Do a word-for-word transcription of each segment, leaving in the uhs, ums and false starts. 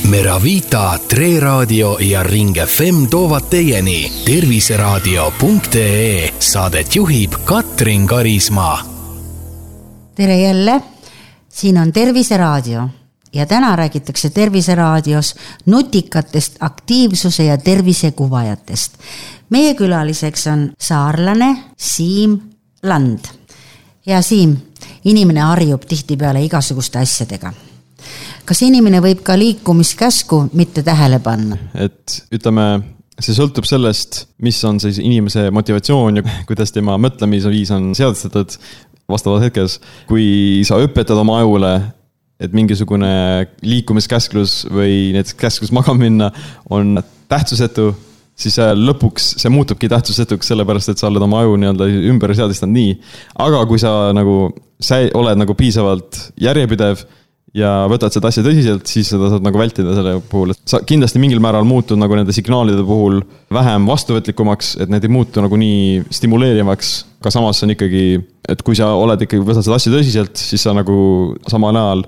Meravita, Tre Raadio ja Ring F M toovad teieni terviseraadio punkt ee. Saadet juhib Katrin Karismaa. Tere jälle, siin on Terviseraadio ja täna räägitakse Terviseraadios nutikatest aktiivsuse ja tervise kuvajatest. Meie külaliseks on saarlane Siim Land. Ja Siim, inimene harjub tihtipeale igasuguste asjadega. Kas inimene võib ka liikumiskäsku mitte tähele panna? Et ütleme, see sõltub sellest, mis on siis inimese motivatsioon ja kuidas tema mõtlemise viis on seadestatud vastavas hetkes. Kui sa õpetad oma ajule, et mingisugune liikumiskäsklus või näiteks käsklus magama minna on tähtsusetu, siis lõpuks see muutubki tähtsusetuks sellepärast, et sa oled oma aju nii-öelda ümber seadistanud nii. Aga kui sa nagu, sa oled nagu piisavalt järjepidev ja võtad seda asja tõsiselt, siis seda saad nagu vältida selle puhul. Sa kindlasti mingil määral muutud nagu nende signaalide puhul vähem vastuvõtlikumaks, et need ei muutu nagu nii stimuleerivaks. Ka samas on ikkagi, et kui sa oled ikkagi võtad seda asja tõsiselt, siis sa nagu samal ajal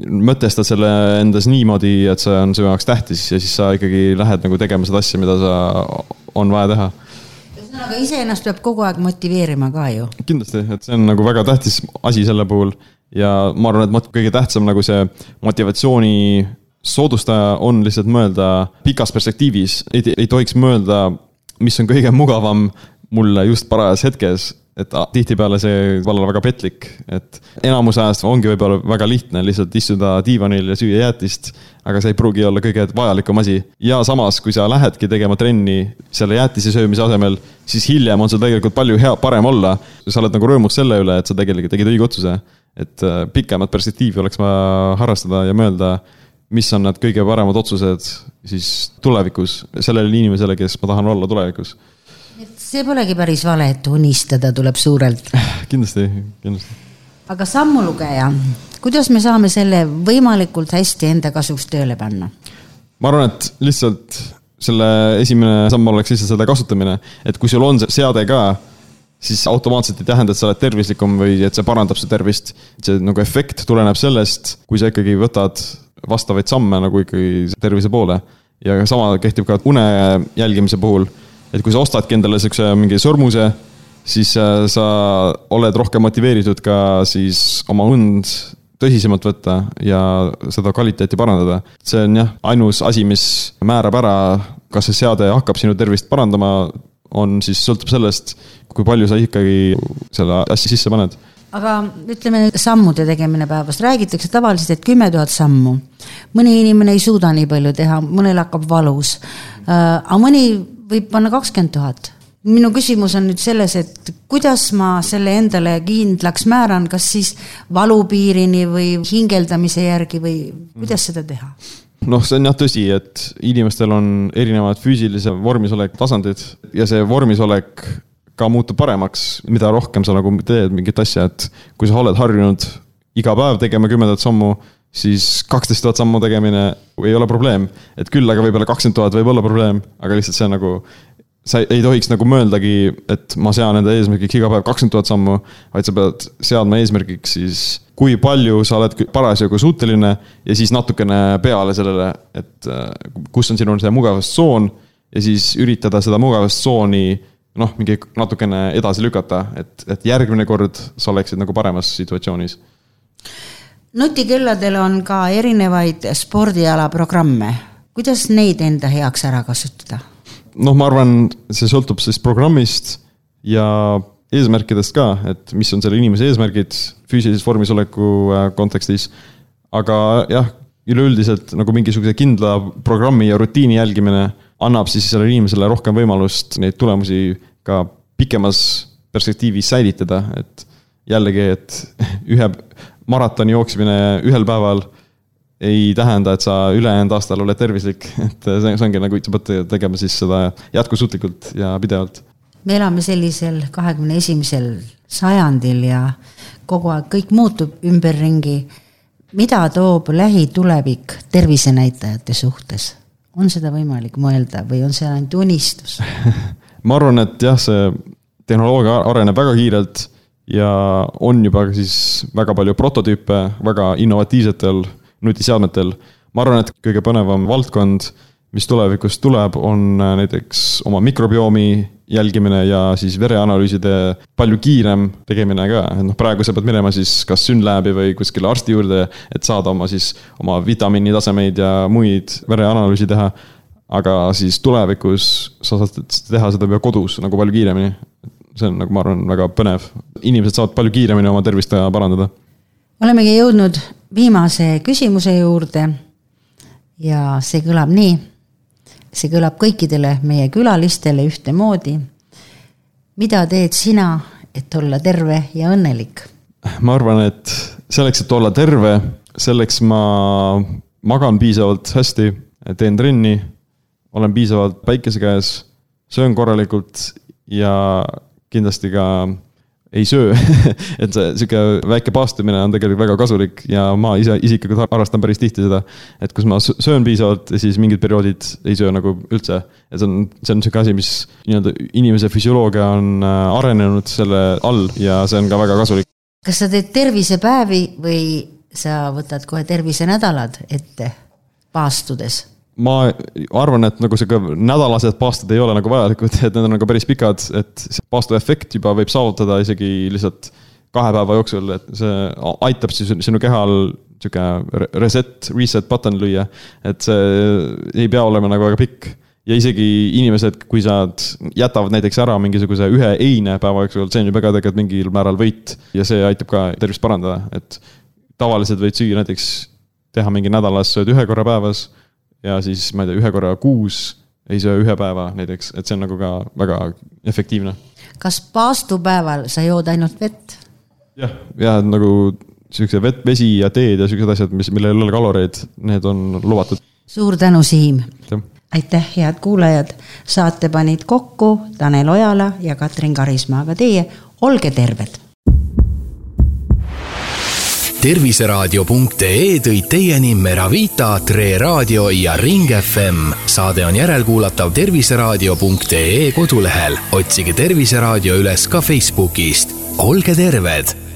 mõtestad selle endas niimoodi, et see on su jaoks tähtis ja siis sa ikkagi lähed nagu tegema seda asja, mida sa on vaja teha. Aga ise ennast peab kogu aeg motiveerima ka ju. Kindlasti, et see on nagu väga tähtis asi selle puhul. Ja ma arvan, et kõige tähtsam nagu see motivatsiooni soodustaja on lihtsalt mõelda pikas perspektiivis. Ei, ei tohiks mõelda, mis on kõige mugavam mulle just parajas hetkes, et tihtipeale see olla väga petlik. Et enamus ajast ongi võib-olla väga lihtne lihtsalt istuda diivanil ja süüa jäätist, aga see ei pruugi olla kõige vajalikum asi. Ja samas, kui sa lähedki tegema trenni selle jäätise söömise asemel, siis hiljem on see tegelikult palju hea, parem olla. Sa oled nagu rõõmus selle üle, et sa tegelikult tegid õige otsuse. Et pikemat perspektiivi oleks vaja harrastada ja mõelda, mis on need kõige paremad otsused siis tulevikus sellele inimesele, kes ma tahan olla tulevikus. Et see polegi päris vale, et unistada tuleb suurelt. Kindlasti, kindlasti. Aga sammulugeja, kuidas me saame selle võimalikult hästi enda kasuks tööle panna? Ma arvan, et lihtsalt selle esimene samm oleks lihtsalt seda kasutamine, et kui sul on see seade ka, siis automaatselt ei tähenda, et sa oled tervislikum või et see parandab su tervist. See nagu efekt tuleneb sellest, kui sa ikkagi võtad vastavaid samme nagu ikkagi tervise poole. Ja sama kehtib ka une jälgimise puhul, et kui sa ostadki endale mingi sõrmuse, siis sa oled rohkem motiveeritud ka siis oma und tõsisemalt võtta ja seda kvaliteeti parandada. See on jah, ainus asi, mis määrab ära, kas see seade hakkab sinu tervist parandama, on siis sõltub sellest, kui palju sa ikkagi selle asja sisse paned. Aga ütleme, sammude tegemine päevast. Räägitakse tavaliselt, et kümme tuhat sammu. Mõni inimene ei suuda nii palju teha, mõnel hakkab valus. Aga mõni võib panna kakskümmend tuhat. Minu küsimus on nüüd selles, et kuidas ma selle endale kindlaks määran, kas siis valupiirini või hingeldamise järgi või kuidas seda teha? Noh, see on jah tõsi, et inimestel on erinevad füüsilise vormisolek tasandid ja see vormisolek ka muutub paremaks, mida rohkem sa nagu teed mingit asja, et kui sa oled harjunud iga päev tegema kümmendat sammu, siis kaksteist tuhat sammu tegemine ei ole probleem. Et küll, aga võib-olla kakskümmend tuhat võib olla probleem, aga lihtsalt see nagu, sa ei tohiks nagu mõeldagi, et ma sean enda eesmärgiks iga päev kakskümmend tuhat sammu, vaid sa pead seadma eesmärgiks siis kui palju sa oled parasjagu suuteline ja siis natukene peale sellele, et kus on sinu see mugavustsoon ja siis üritada seda mugavustsooni noh, mingi natukene edasi lükata, et, et järgmine kord sa oleksid nagu paremas situatsioonis. Nutikülladel on ka erinevaid spordiala programme. Kuidas neid enda heaks ära kasutada? Noh, ma arvan, see sõltub siis programmist ja eesmärkidest ka, et mis on selle inimese eesmärgid füüsilises vormisoleku kontekstis. Aga jah, üleüldiselt nagu mingisuguse kindla programmi ja rutiini jälgimine annab siis selle inimesele rohkem võimalust neid tulemusi ka pikemas perspektiivis säilitada. Et jällegi, et ühe maratoni jooksmine ühel päeval ei tähenda, et sa ülejäänud aastal oled tervislik. Et see ongi nagu, sa pead tegema siis seda jätkusuutlikult ja pidevalt. Me elame sellisel kahekümne esimesel sajandil ja kogu aeg kõik muutub ümberringi. Mida toob lähitulevik tervisenäitajate suhtes? On seda võimalik mõelda või on see ainult unistus? Ma arvan, et jah, see tehnoloogia areneb väga kiirelt ja on juba siis väga palju prototüüpe väga innovatiivsetel nutiseadmetel. ma arvan, et kõige põnevam valdkond, mis tulevikus tuleb, on näiteks oma mikrobiomi jälgimine ja siis vereanalüüside palju kiirem tegemine ka. No, praegu sa pead minema siis kas Synlabi või kuskile arsti juurde, et saada oma, siis, oma vitamiini tasemeid ja muid vereanalüüsi teha. Aga siis tulevikus sa saad teha seda juba kodus nagu palju kiiremini. See on, nagu ma arvan, väga põnev. Inimesed saavad palju kiiremini oma tervist parandada. Olemegi jõudnud viimase küsimuse juurde ja see kõlab nii. See kõlab kõikidele meie külalistele ühte moodi. Mida teed sina, et olla terve ja õnnelik? Ma arvan, et selleks, et olla terve, selleks ma magan piisavalt hästi, teen trenni, olen piisavalt päikese käes, söön korralikult ja kindlasti ka ei söö. Et see siuke väike paastumine on tegelikult väga kasulik ja ma ise isiklikult harrastan päris tihti seda, et kus ma söön piisavalt ja siis mingid perioodid ei söö nagu üldse. Et see on, see on siuke asi, mis inimese füsioloogia on arenenud selle all ja see on ka väga kasulik. Kas sa teed tervisepäevi või sa võtad kohe tervisenädalad ette paastudes? Ma arvan, et nagu see nädalased paastud ei ole nagu vajalikud, et need on nagu päris pikad, et paastu efekt juba võib saavutada isegi lihtsalt kahe päeva jooksul, et see aitab siis sinu kehal siuke reset, reset button lüüa, et see ei pea olema nagu väga pikk. Ja isegi inimesed, kui sa jätavad näiteks ära mingisuguse ühe eine päeva jooksul, see on juba ka tegelikult mingil määral võit ja see aitab ka tervist parandada, et tavaliselt võid süüa näiteks teha mingi nädalas sööd ühe korra päevas ja siis, ma ei tea, ühe korra kuus ei söö ühe päeva näiteks, et see on nagu ka väga efektiivne. Kas paastupäeval sa jood ainult vett? Jah, ja nagu siukse vett, vesi ja teed ja siuksed asjad, mis, millel ei ole kaloreid, need on lubatud. Suur tänu, Siim! Ja. Aitäh, head kuulajad! Saate panid kokku Tanel Ojala ja Katrin Karismaa, aga teie olge terved! terviseraadio punkt ee tõi teieni Meravita, Tre Radio ja Ring F M. Saade on järelkuulatav terviseraadio punkt ee kodulehel. Otsige Terviseraadio üles ka Facebookist. Olge terved!